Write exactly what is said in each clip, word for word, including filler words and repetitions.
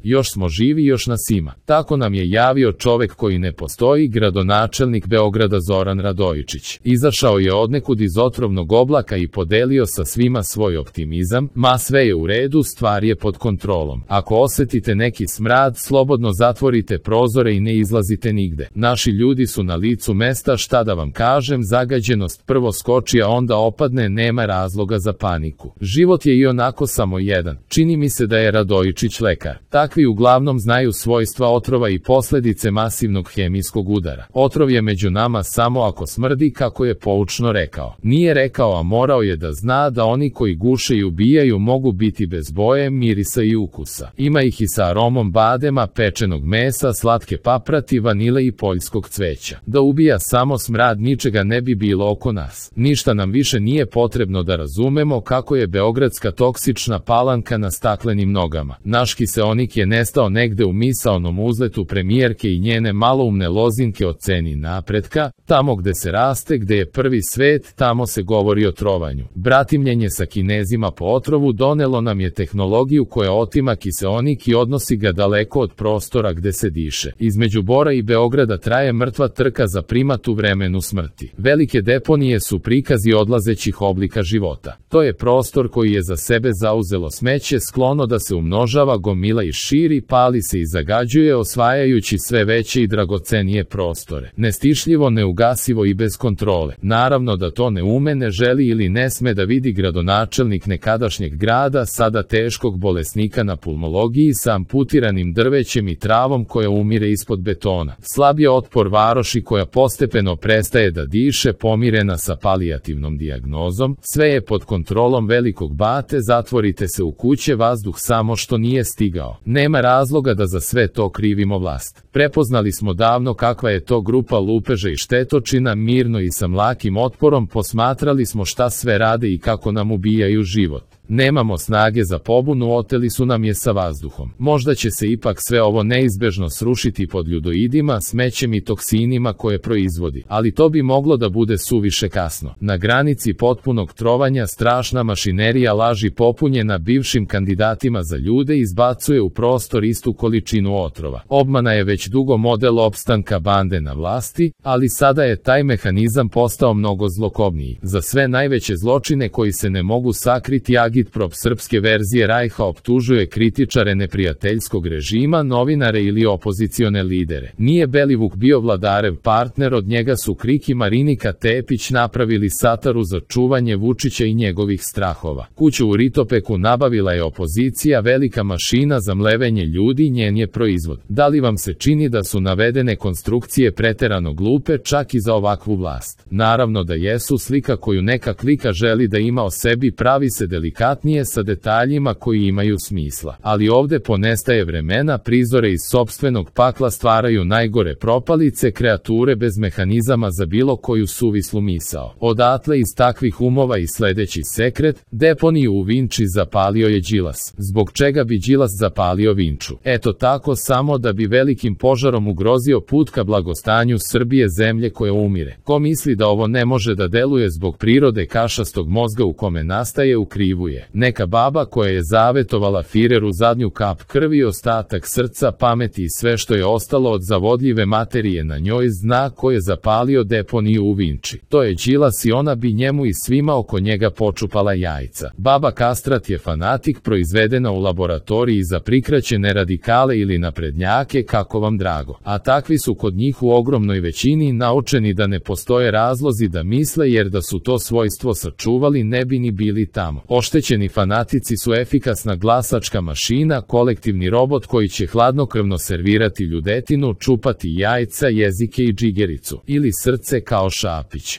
Još smo živi, još nas ima. Tako nam je javio čovek koji ne postoji, gradonačelnik Beograda Zoran Radojičić. Izašao je odnekud iz otrovnog oblaka i podelio sa svima svoj optimizam. Ma sve je u redu, stvar je pod kontrolom. Ako osetite neki smrad, slobodno zatvorite prozore i ne izlazite nigde. Naši ljudi su na licu mesta, šta da vam kažem, zagađenost prvo skoči, a onda opadne, nema razloga za paniku. Život je i onako samo jedan. Čini mi se da je Radojičić lekar. Takvi uglavnom znaju svojstva otrova i posledice masivnog hemijskog udara. Otrov je među nama samo ako smrdi, kako je poučno rekao. Nije rekao, a morao je da zna da oni koji guše i ubijaju mogu biti bez boje, mirisa i ukusa. Ima ih i sa aromom badema, pečenog mesa, slatke paprati, vanile i poljskog cveća. Da ubija samo smrad, ničega ne bi bilo oko nas. Ništa nam više nije potrebno da razumemo kako je beogradska toksična palanka na staklenim nogama. Naš kiseonik je nestao negde u misaonom uzletu premijerke i njene maloumne lozinke o ceni napretka. Tamo gde se raste, gde je prvi svet, tamo se govori o trovanju. Bratimljenje sa Kinezima po otrovu donelo nam je tehnologiju koja otima kiseonik i odnosi ga daleko od prostora gde se diše. Između Bora i Beograda traje mrtva trka za primat u vremenu smrti. Velike deponije su prikazi odlazećih oblika života. To je prostor koji je za sebe zauzelo smeće, sklono da se umnožava, gomila i širi, pali se i zagađuje, osvajajući sve veće i dragocenije prostore. Nestišljivo, neugasivo i bez kontrole. Naravno da to ne ume, ne želi ili ne sme da vidi gradonačelnik nekadašnjeg grada, sada teškog bolesnika na pulmologiji sa amputiranim drvećem i travom koja umire ispod betona. Slab je otpor varoši koja postepeno prestaje da diše, pomirena sa palijativnom dijagnozom. Sve je pod kontrolom velikog bate, zatvorite se u kuće, vazduh samo što nije stigao. Nema razloga da za sve to krivimo vlast. Prepoznali smo davno kakva je to grupa lupeža i štetočina, mirno i sa mlakim otporom posmatrali smo šta sve rade i kako nam ubijaju život. Nemamo snage za pobunu, oteli su nam je sa vazduhom. Možda će se ipak sve ovo neizbežno srušiti pod ljudoidima, smećem i toksinima koje proizvodi, ali to bi moglo da bude suviše kasno. Na granici potpunog trovanja strašna mašinerija laži popunjena bivšim kandidatima za ljude izbacuje u prostor istu količinu otrova. Obmana je već dugo model opstanka bande na vlasti, ali sada je taj mehanizam postao mnogo zlokobniji. Za sve najveće zločine koji se ne mogu sakriti, agitprop srpske verzije Rajha optužuje kritičare neprijateljskog režima, novinare ili opozicione lidere. Nije Belivuk bio Vladarev partner, od njega su Krik i Marinika Tepić napravili sataru za čuvanje Vučića i njegovih strahova. Kuću u Ritopeku nabavila je opozicija, velika mašina za mlevenje ljudi, njen je proizvod. Da li vam se čini da su navedene konstrukcije preterano glupe čak i za ovakvu vlast? Naravno da jesu. Slika koju neka klika želi da ima o sebi pravi se delikatnije sa detaljima koji imaju smisla. Ali ovde ponestaje vremena, prizore iz sopstvenog pakla stvaraju najgore propalice, kreature bez mehanizama za bilo koju suvislu misao. Odatle iz takvih umova i sledeći sekret, deponiju u Vinči zapalio je Đilas. Zbog čega bi Đilas zapalio Vinču? Eto tako, samo da bi velikim požarom ugrozio put ka blagostanju Srbije, zemlje koja umire. Ko misli da ovo ne može da deluje zbog prirode kašastog mozga u kome nastaje, u krivu je. Neka baba koja je zavetovala Fireru zadnju kap krvi, ostatak srca, pameti i sve što je ostalo od zavodljive materije na njoj, zna ko je zapalio deponiju u Vinči. To je Đilas i ona bi njemu i svima oko njega počupala jajca. Baba kastrat je fanatik, proizvedena u laboratoriji za prikraćene radikale ili naprednjake, kako vam drago. A takvi su kod njih u ogromnoj većini, naučeni da ne postoje razlozi da misle, jer da su to svojstvo sačuvali ne bi ni bili tamo. Oštećeni fanatici su efikasna glasačka mašina, kolektivni robot koji će hladnokrvno servirati ljudetinu, čupati jajca, jezike i džigericu. Ili srce kao Šapić.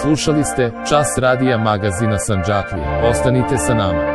Slušali ste Čas radija magazina Sandžaklija. Ostanite sa nama.